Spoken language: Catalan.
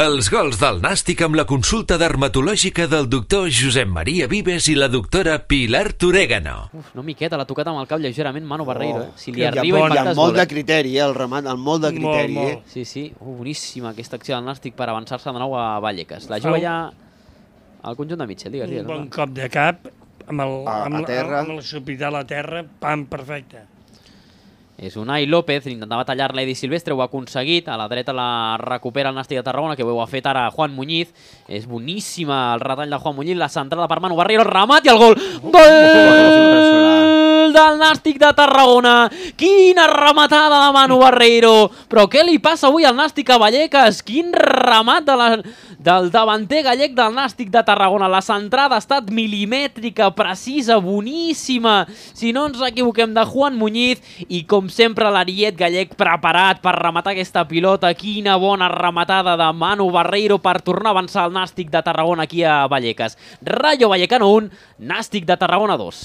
Els gols del Nàstic amb la consulta dermatològica del doctor Josep Maria Vives i la doctora Pilar Torégano. Uf, no miqueta, l'ha tocat amb el cap lleugerament Manu Barreiro. Si li Hi ha arriba impactes molt de criteri, el remat, amb molt de criteri. Molt. Sí, sí. Boníssima aquesta acció del Nàstic per avançar-se de nou a Vallecas. La juga ja al conjunt de Mitchell, digues. Un bon cop de cap amb terra. l'hospital a terra, pam, perfecte. És Unai López, intentava tallar l'Edi Silvestre, ho ha aconseguit, a la dreta la recupera el Nàstic de Tarragona, que ho ha fet ara Juan Muñiz. És boníssima el retall de Juan Muñiz, la centrada per Manu Barreiro, el remat i el gol! Gol del Nàstic de Tarragona! Quina rematada de Manu Barreiro! Però què li passa avui al Nàstic a Vallecas? Quin remat del davanter gallec del Nàstic de Tarragona. La centrada ha estat milimètrica, precisa, boníssima. Si no ens equivoquem, de Juan Muñiz. I com sempre l'Ariet gallec preparat per rematar aquesta pilota. Quina bona rematada de Manu Barreiro per tornar a avançar el Nàstic de Tarragona aquí a Vallecas. Rayo Vallecano 1, Nàstic de Tarragona 2.